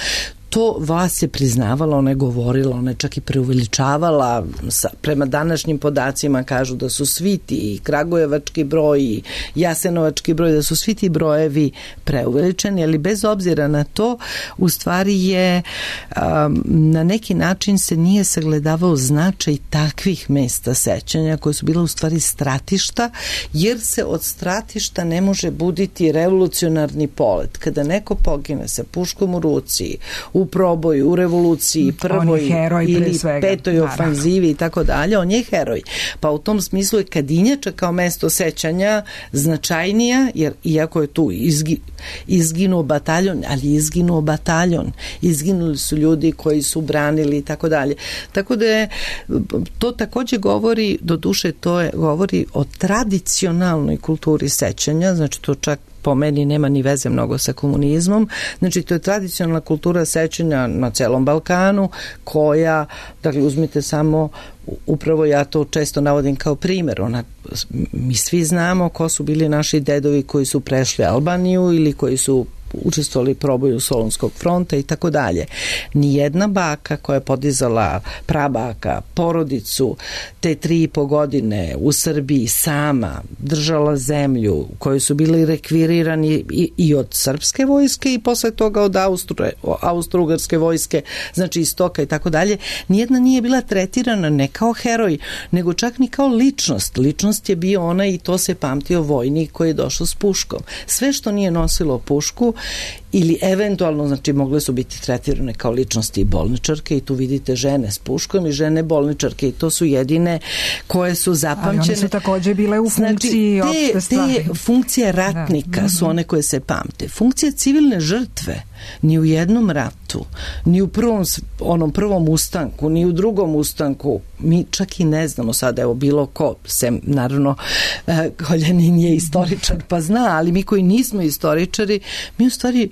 To vlast je priznavala, ona je govorila, ona je čak i preuveličavala. Prema današnjim podacima kažu da su svi ti kragujevački broj i jasenovački broj, da su svi ti brojevi preuveličeni, ali bez obzira na to, u stvari je na neki način se nije sagledavao značaj takvih mesta sećanja koje su bila u stvari stratišta, jer se od stratišta ne može buditi revolucionarni polet. Kada neko pogine sa puškom u ruci, u proboju, u revoluciji, prvoj ili petoj ofanzivi i tako dalje, on je heroj. Pa u tom smislu je Kadinjača kao mesto sećanja značajnija, jer iako je tu izginuo bataljon, ali izginuo bataljon. Izginuli su ljudi koji su branili i tako dalje. Tako da je, to takođe govori, do duše govori o tradicionalnoj kulturi sećanja, znači to čak po meni nema ni veze mnogo sa komunizmom. Znači, to je tradicionalna kultura sećanja na celom Balkanu, koja, dakle, uzmite samo, upravo ja to često navodim kao primjer, mi svi znamo ko su bili naši dedovi koji su prešli Albaniju ili koji su učestvovali proboju Solunskog fronta i tako dalje. Nijedna baka koja je podizala prabaka, porodicu, te 3,5 godine u Srbiji sama držala zemlju u kojoj su bili rekvirirani i od srpske vojske i posle toga od austro-ugarske vojske, znači istoka i tako dalje, nijedna nije bila tretirana ne kao heroj, nego čak ni kao ličnost. Ličnost je bio ona i to se pamtio vojnik koji je došao s puškom. Sve što nije nosilo pušku ili eventualno, znači mogle su biti tretirane kao ličnosti i bolničarke i tu vidite žene s puškom i žene bolničarke i to su jedine koje su zapamćene. Ali one su takođe bile u funkciji opšte stvari. Te funkcije ratnika su one koje se pamte. Funkcija civilne žrtve ni u jednom ratu, ni u prvom ustanku, ni u drugom ustanku, mi čak i ne znamo sad, evo bilo ko, sem naravno Koljanin je istoričar pa zna, ali mi koji nismo istoričari, mi u stvari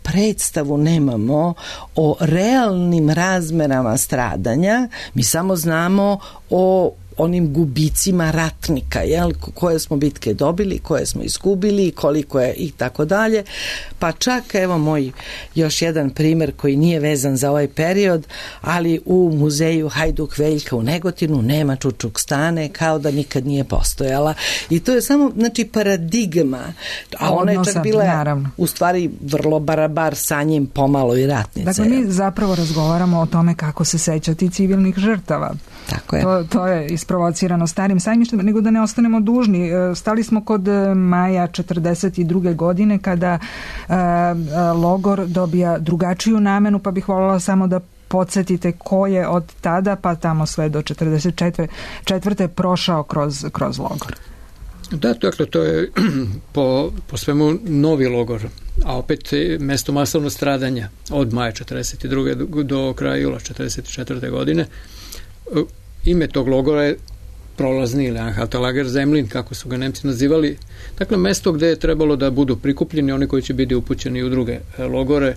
predstavu nemamo o realnim razmerama stradanja, mi samo znamo o onim gubicima ratnika, koje smo bitke dobili, koje smo izgubili, koliko je i tako dalje. Pa čak, evo moj još jedan primer koji nije vezan za ovaj period, ali u muzeju Hajduk Veljka u Negotinu nema Čučuk Stane, kao da nikad nije postojala. I to je samo, znači, paradigma, a ona je čak bila u stvari vrlo barabar sa njim pomalo i ratnice. Dakle, mi zapravo razgovaramo o tome kako se sećati civilnih žrtava. Tako je. To je isprovocirano Starim sajmištem, nego da ne ostanemo dužni. Stali smo kod maja 42. godine kada logor dobija drugačiju namenu, pa bih voljela samo da podsjetite ko je od tada pa tamo sve do 44. prošao kroz logor. Da, dakle, to je po svemu novi logor, a opet mesto masovnog stradanja od maja 42. do kraja jula 44. godine. Ime tog logora je prolazni ili Anhaltelager Zemlin, kako su ga Nemci nazivali. Dakle, mesto gde je trebalo da budu prikupljeni oni koji će biti upućeni u druge logore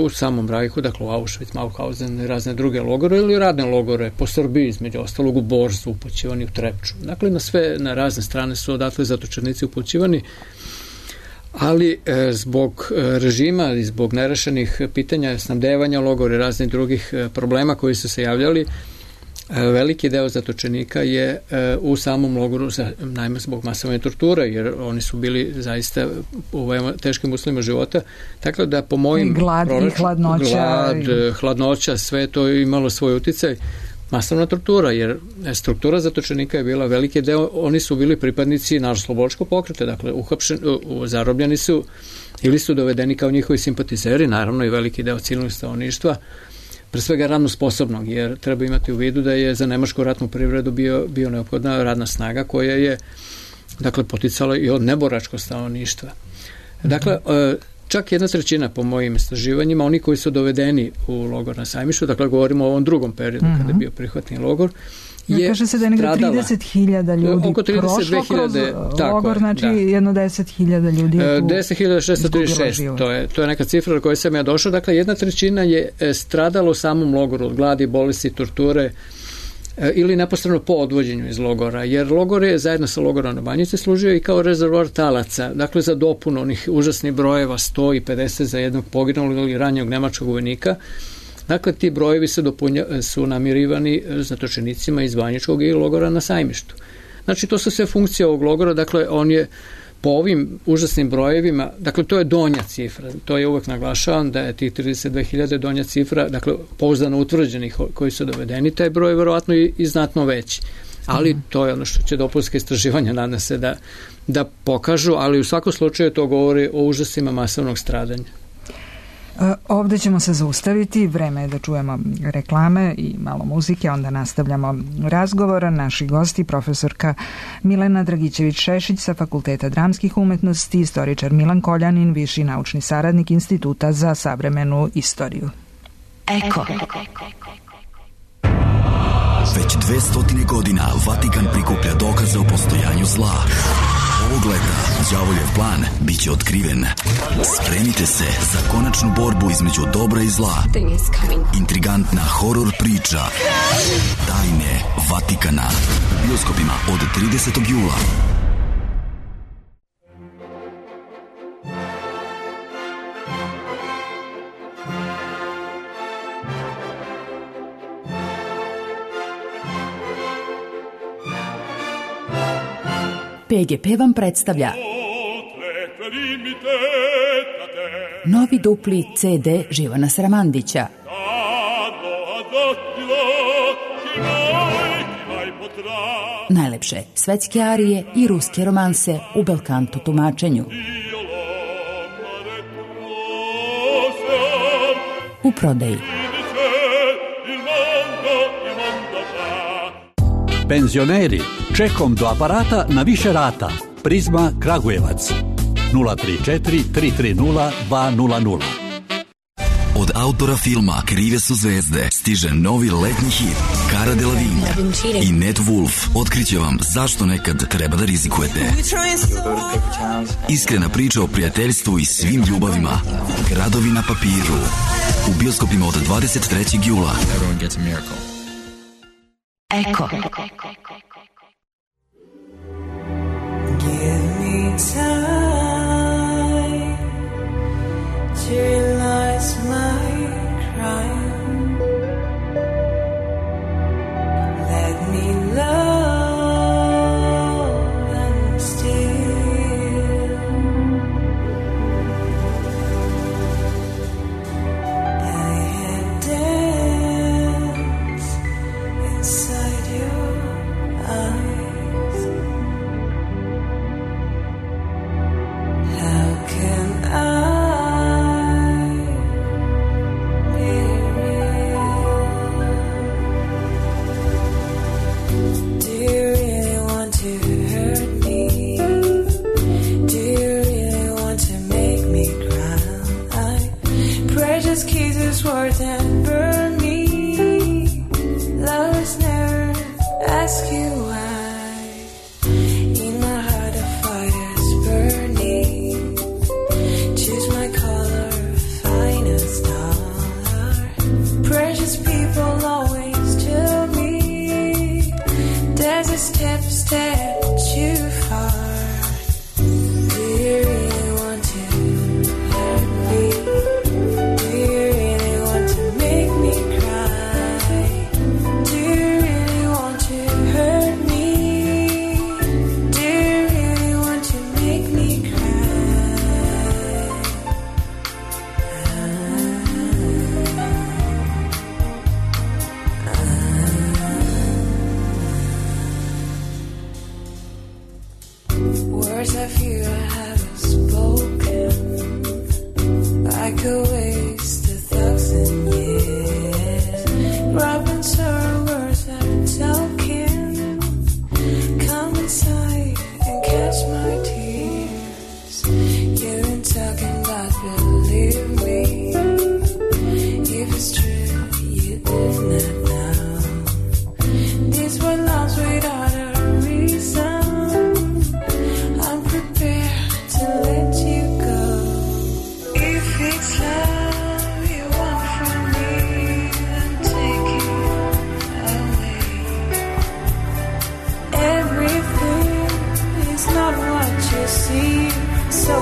u samom Rajhu, dakle u Auschwitz, Mauthausen i razne druge logore ili radne logore po Srbiji, između ostalog u Bor su upućivani u Trepču. Dakle, na razne strane su odatle zatočenici upućivani, ali zbog režima i zbog nerešenih pitanja snabdevanja logora i raznih drugih problema koji su se javljali, veliki deo zatočenika je u samom logoru, najme zbog masovne torture, jer oni su bili zaista u teškim uslovima života, tako da po mojim glad i hladnoća, hladnoća, sve to je imalo svoj uticaj. masovna tortura, jer struktura zatočenika je bila veliki deo, oni su bili pripadnici narodnooslobodilačkog pokreta, dakle zarobljeni su ili su dovedeni kao njihovi simpatizeri, naravno i veliki deo civilnog stanovništva, pre svega radno sposobnog, jer treba imati u vidu da je za nemačku ratnu privredu bio neophodna radna snaga koja je dakle poticala i od neboračkog stanovništva. Dakle, čak 1/3 po mojim istraživanjima, oni koji su dovedeni u logor na Sajmištu, dakle govorimo o ovom drugom periodu kada je bio prihvatni logor, je kaže se da je negde 30.000 ljudi oko 32.000 kroz logor, znači jedno 10.000 ljudi 10.636, to je neka cifra na kojoj sam ja došao, dakle 1/3 je stradalo u samom logoru od gladi, bolesti, torture ili neposredno po odvođenju iz logora, jer logor je zajedno sa logorom na Banjici služio i kao rezervoar talaca, dakle za dopunu onih užasnih brojeva 100 i 50 za jednog poginulog ili ranjenog nemačkog vojnika. Dakle, ti brojevi su namirivani zatočenicima iz Banjičkog i logora na Sajmištu. Znači, to su sve funkcije ovog logora, dakle, on je po ovim užasnim brojevima, dakle, to je donja cifra, to je uvek naglašavam da je tih 32.000 donja cifra, dakle, pouzdano utvrđenih koji su dovedeni, taj broj je verovatno i znatno veći. Ali to je ono što će dopunska istraživanja, nadam se da pokažu, ali u svakom slučaju to govori o užasima masovnog stradanja. Ovde ćemo se zaustaviti, vreme je da čujemo reklame i malo muzike, onda nastavljamo razgovor. Naši gosti, profesorka Milena Dragićević-Šešić sa Fakulteta dramskih umetnosti, istoričar Milan Koljanin, viši naučni saradnik Instituta za savremenu istoriju. Eko. Već 200 godina Vatikan prikuplja dokaze o postojanju zla. Ovog leta đavoljev plan biće otkriven. Spremite se za konačnu borbu između dobra i zla. Intrigantna horor priča Tajne Vatikana u bioskopima od 30. jula. PGP vam predstavlja novi dupli CD Živana Sramandića. Najlepše svetske arije i ruske romanse u belkanto tumačenju. U prodaji. Penzioneri, čekom do aparata na više rata. Prizma Kragujevac 034 330 200. Od autora filma Krive su zvezde stiže novi letnji hit Cara Delevingne i Ned Wolf otkriće vam zašto nekad treba da rizikujete. Iskrena priča o prijateljstvu i svim ljubavima. Gradovi na papiru. U bioskopima od 23. jula. Eko. Give me time to realize my crime. Let me love and steal. I had dance inside your eyes. Words I fear I haven't spoken, like a waste 1,000 years. Rubbing sorrow words I've been talking. Come inside and catch my tears. You've been talking about believe me. If it's true, you did not know. These were loves without a reason. I'm prepared to let you go. If it's love you want from me, then take it away. Everything is not what you see, so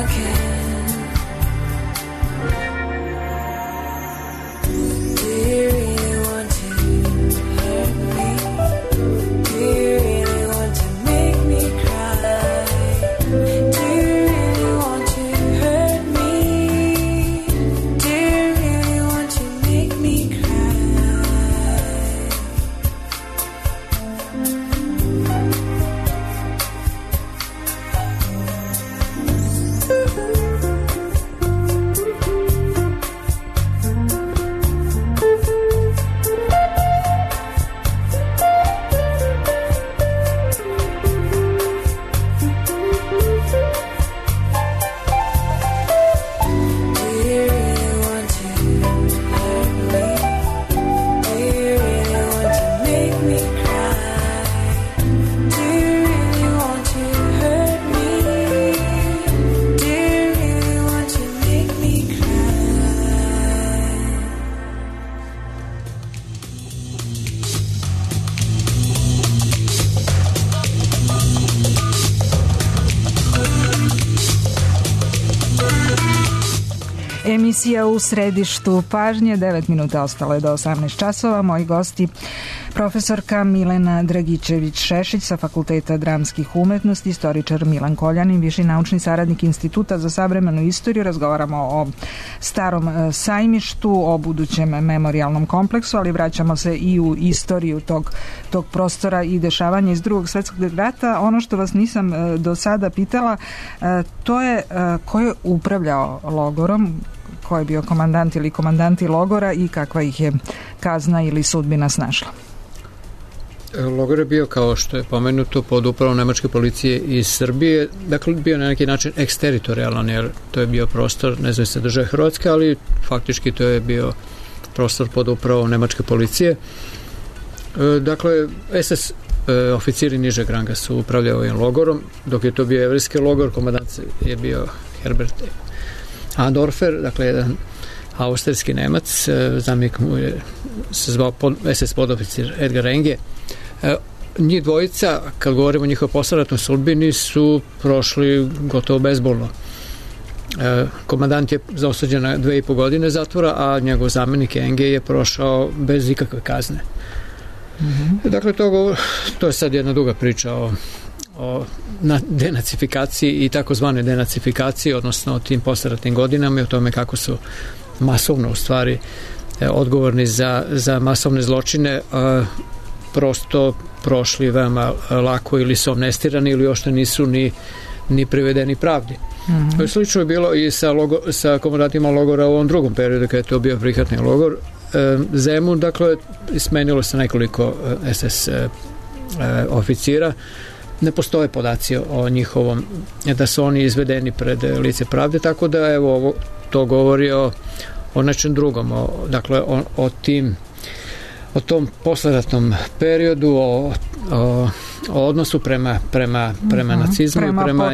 again. Do you really want to hurt me? Do you really want to make me cry? Do you really want to hurt me? Do you really want to make me cry? Do you really want to hurt me? Do you really want to make me cry? Do you really want to hurt me? Do you really want to make me cry? Emisija u središtu pažnje, 9 minuta ostalo je do 18 časova. Moji gosti, profesorka Milena Dragičević-Šešić sa Fakulteta dramskih umetnosti, istoričar Milan Koljanin, viši naučni saradnik Instituta za savremenu istoriju. Razgovaramo o starom sajmištu, o budućem memorijalnom kompleksu, ali vraćamo se i u istoriju tog prostora i dešavanja iz Drugog svjetskog rata. Ono što vas nisam do sada pitala, to je ko je upravljao logorom, ko je bio komandant ili komandanti logora i kakva ih je kazna ili sudbina snašla? Logor je bio, kao što je pomenuto, pod upravom nemačke policije iz Srbije. Dakle, bio na neki način eksteritorijalan, jer to je bio prostor nezavisne države Hrvatske, ali faktički to je bio prostor pod upravom nemačke policije. Dakle, SS oficiri nižeg ranga su upravljali ovim logorom, dok je to bio jevrijski logor, komandant je bio Herbert Andorfer, dakle jedan austrijski Nemac, zamjenik mu je se zvao SS podoficir Edgar Enge. Njih dvojica, kad govorimo o njihovoj posleratnoj sudbini, su prošli gotovo bezbolno. Komandant je osuđen na 2,5 godine zatvora, a njegov zamjenik Enge je prošao bez ikakve kazne. Dakle, to je sad jedna duga priča o denacifikaciji i takozvane denacifikaciji, odnosno o tim posleratnim godinama i o tome kako su masovno u stvari odgovorni za masovne zločine prosto prošli veoma lako, ili su amnestirani ili još nisu ni privedeni pravdi. Slično je bilo i sa komandantima logora u ovom drugom periodu, kada je to bio prihvatni logor Zemun. Dakle, smenilo se nekoliko SS oficira. Ne postoje podaci o njihovom, da su oni izvedeni pred lice pravde, tako da evo to govori o nečem drugom, dakle o tom posleratnom periodu, o odnosu prema nacizmu, prema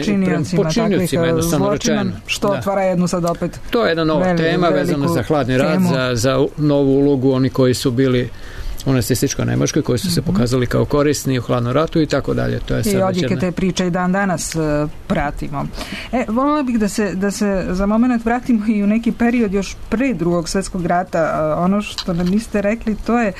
počinjocima jednostavno rečeno. Što otvara jednu sad opet. To je jedna nova tema vezana za hladni rat, za novu ulogu oni koji su bili u nacističkoj Nemačkoj, koji su se pokazali kao korisni u hladnom ratu i tako dalje. To je i odjeke te priče i dan danas pratimo. Voljela bih da se za moment vratimo i u neki period još pre Drugog svjetskog rata. Ono što nam niste rekli, to je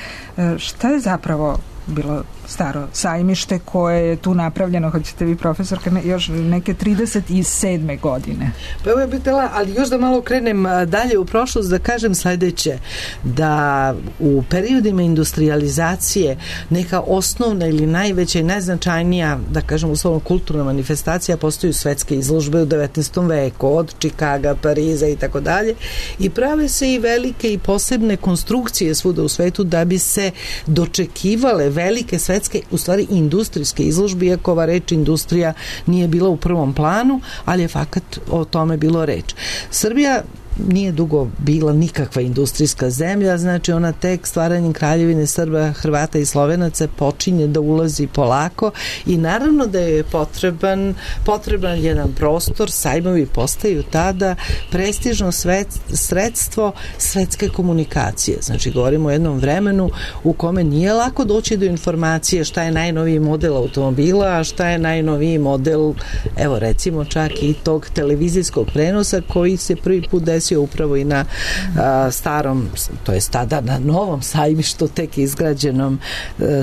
šta je zapravo bilo staro sajmište koje je tu napravljeno, hoćete vi profesorka, još neke 37. godine. Pa evo je bitela, ali još da malo krenem dalje u prošlost, da kažem sledeće, da u periodima industrializacije neka osnovna ili najveća i najznačajnija, da kažem uslovno kulturna manifestacija, postaju svetske izložbe u 19. veku, od Čikaga, Pariza i tako dalje, i prave se i velike i posebne konstrukcije svuda u svetu da bi se dočekivale velike svetske, u stvari industrijske izložbe, iako ova reč industrija nije bila u prvom planu, ali je fakat o tome bilo reč. Srbija nije dugo bila nikakva industrijska zemlja, znači ona tek stvaranjem Kraljevine Srba, Hrvata i Slovenaca počinje da ulazi polako i naravno da je potreban jedan prostor, sajmovi postaju tada prestižno sredstvo svetske komunikacije. Znači govorimo o jednom vremenu u kome nije lako doći do informacije šta je najnoviji model automobila, a šta je najnoviji model, evo recimo čak i tog televizijskog prenosa koji se prvi put desio upravo i na starom, to je tada na novom sajmištu, tek izgrađenom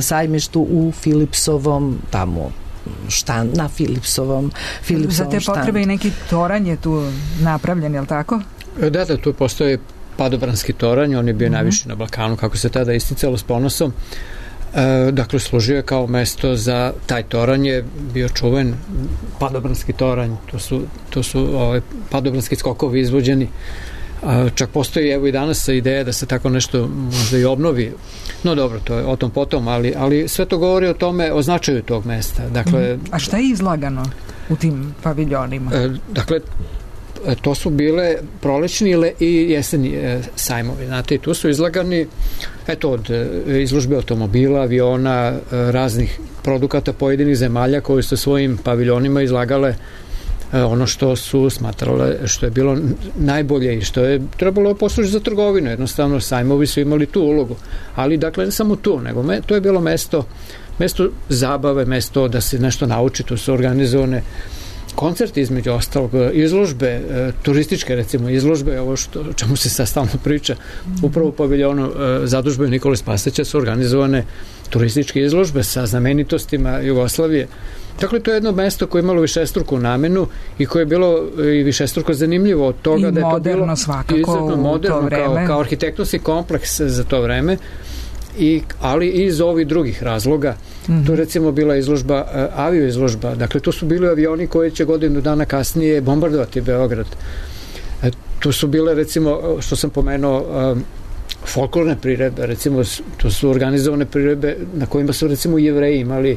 sajmištu u Filipsovom tamo na Filipsovom Za te potrebe i neki toranj je tu napravljen, je li tako? Da, tu postoje Padobranski toranj, on je bio najviši na Balkanu, kako se tada isticalo s ponosom. Dakle, služio je kao mesto za taj toranj, je bio čuven Padobranski toranj, to su padobranski skokovi izvođeni. Čak postoji evo i danas ideja da se tako nešto možda i obnovi. No dobro, to je o tom potom, ali sve to govori o tome, o značaju tog mesta. Dakle, a šta je izlagano u tim paviljonima? Dakle, to su bile prolećni i jeseni sajmovi. Znate, i tu su izlagani od izložbe automobila, aviona, raznih produkata pojedinih zemalja koji su svojim paviljonima izlagale ono što su smatrale, što je bilo najbolje i što je trebalo poslužiti za trgovinu. Jednostavno, sajmovi su imali tu ulogu. Ali, dakle, ne samo tu, nego to je bilo mesto zabave, mesto da se nešto nauči, tu su organizovane koncerti između ostalog, izložbe, turističke recimo izložbe, ovo o čemu se sad stalno priča, upravo u paviljonu zadužbe Nikole Spasića su organizovane turističke izložbe sa znamenitostima Jugoslavije. Dakle, to je jedno mesto koje je imalo višestruku namenu i koje je bilo i višestruko zanimljivo od toga da je to bilo svakako moderno kao arhitektonski kompleks za to vreme, ali i iz ovih drugih razloga. Tu recimo bila izložba, avio izložba, dakle tu su bili avioni koji će godinu dana kasnije bombardovati Beograd. Tu su bile recimo, što sam pomenuo, folklorne priredbe, recimo tu su organizovane priredbe na kojima su recimo Jevreji imali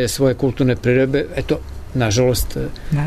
svoje kulturne priredbe. Eto, nažalost,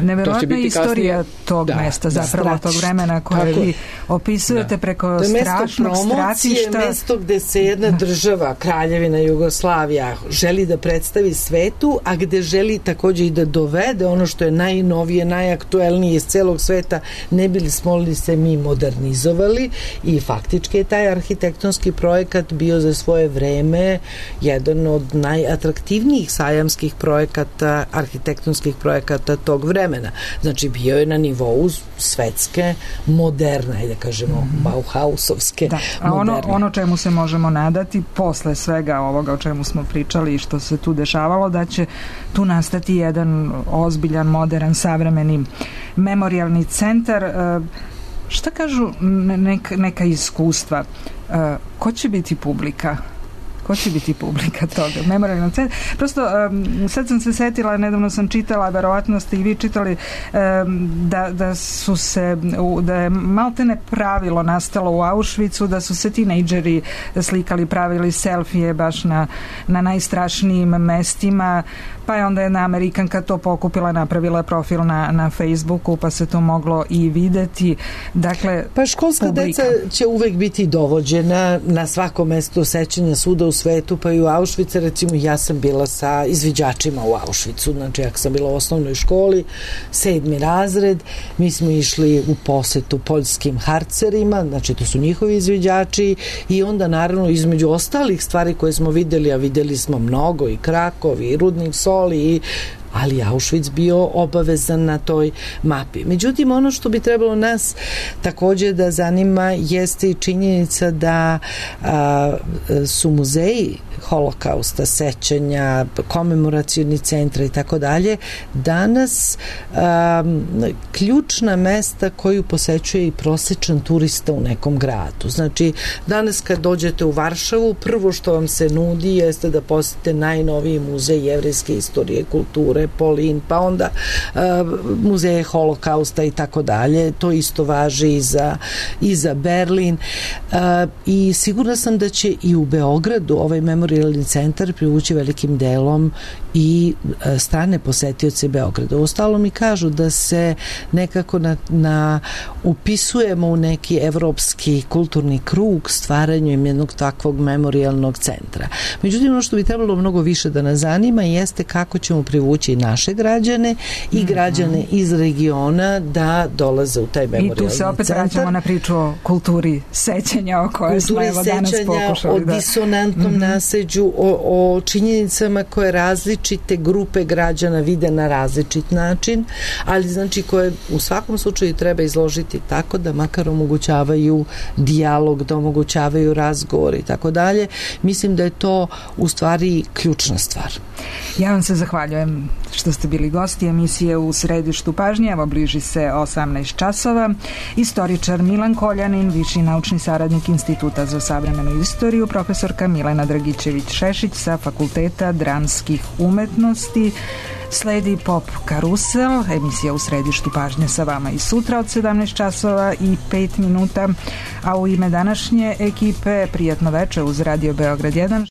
neverovatna istorija tog mesta, zapravo tog vremena koje vi opisujete preko strašnog stratišta. Mesto gde se jedna država, Kraljevina Jugoslavija, želi da predstavi svetu, a gde želi takođe i da dovede ono što je najnovije, najaktuelnije iz celog sveta, ne bili smo li se mi modernizovali, i faktički je taj arhitektonski projekat bio za svoje vreme jedan od najatraktivnijih sajamskih projekata, arhitektonskih projekata tog vremena. Znači, bio je na nivou svetske, moderne, da kažemo, Bauhausovske. Da, a ono čemu se možemo nadati posle svega ovoga o čemu smo pričali i što se tu dešavalo, da će tu nastati jedan ozbiljan, modern, savremeni memorijalni centar. Šta kažu neka iskustva? Ko će biti publika? Ko će biti publika toga? Memorijalnog centra. Prosto, sad sam se setila, nedavno sam čitala, verovatno ste i vi čitali, da je maltene pravilo nastalo u Auschwitzu, da su se tinejdžeri slikali, pravili selfije baš na najstrašnijim mestima, pa je onda jedna Amerikanka to pokupila, napravila profil na Facebooku, pa se to moglo i videti. Dakle, pa školska publika. Deca će uvek biti dovođena na svako mesto sećanja svuda u svetu, pa i u Auschwitzu. Recimo, ja sam bila sa izviđačima u Auschwitzu, znači ja sam bila u osnovnoj školi, 7. razred, mi smo išli u posetu poljskim harcerima, znači to su njihovi izviđači, i onda naravno između ostalih stvari koje smo videli, a videli smo mnogo, i Krakov, i Rudnik soli, ali Auschwitz bio obavezan na toj mapi. Međutim, ono što bi trebalo nas takođe da zanima jeste i činjenica da su muzeji holokausta, sećanja, komemoracioni centra i tako dalje, danas ključna mesta koju posećuje i prosečan turista u nekom gradu. Znači, danas kad dođete u Varšavu, prvo što vam se nudi jeste da posjetite najnoviji muzej jevrejske istorije, kulture, Polin, pa onda muzeje holokausta i tako dalje. To isto važi i za Berlin. I sigurna sam da će i u Beogradu ovaj memorialni centar privući velikim delom i strane posetioce Beograda. Uostalom mi kažu da se nekako upisujemo u neki evropski kulturni krug stvaranjem jednog takvog memorialnog centra. Međutim, ono što bi trebalo mnogo više da nas zanima jeste kako ćemo privući naše građane i građane iz regiona da dolaze u taj memorialni centar. I tu se opet vraćamo na priču o kulturi sećanja o kojoj smo evo danas pokušali. O disonantnom naseđu, o činjenicama koje različite grupe građana vide na različit način, ali znači koje u svakom slučaju treba izložiti tako da makar omogućavaju dijalog, da omogućavaju razgovor i tako dalje. Mislim da je to u stvari ključna stvar. Ja vam se zahvaljujem što ste bili gosti emisije U središtu pažnje. Evo bliži se 18 časova. Istoričar Milan Koljanin, viši naučni saradnik Instituta za savremenu istoriju, profesorka Milena Dragićević-Šešić sa Fakulteta dramskih umetnosti. Sledi Pop Karusel, emisija U središtu pažnje sa vama i sutra od 17 časova i 5 minuta, a u ime današnje ekipe prijatno veče uz Radio Beograd 1.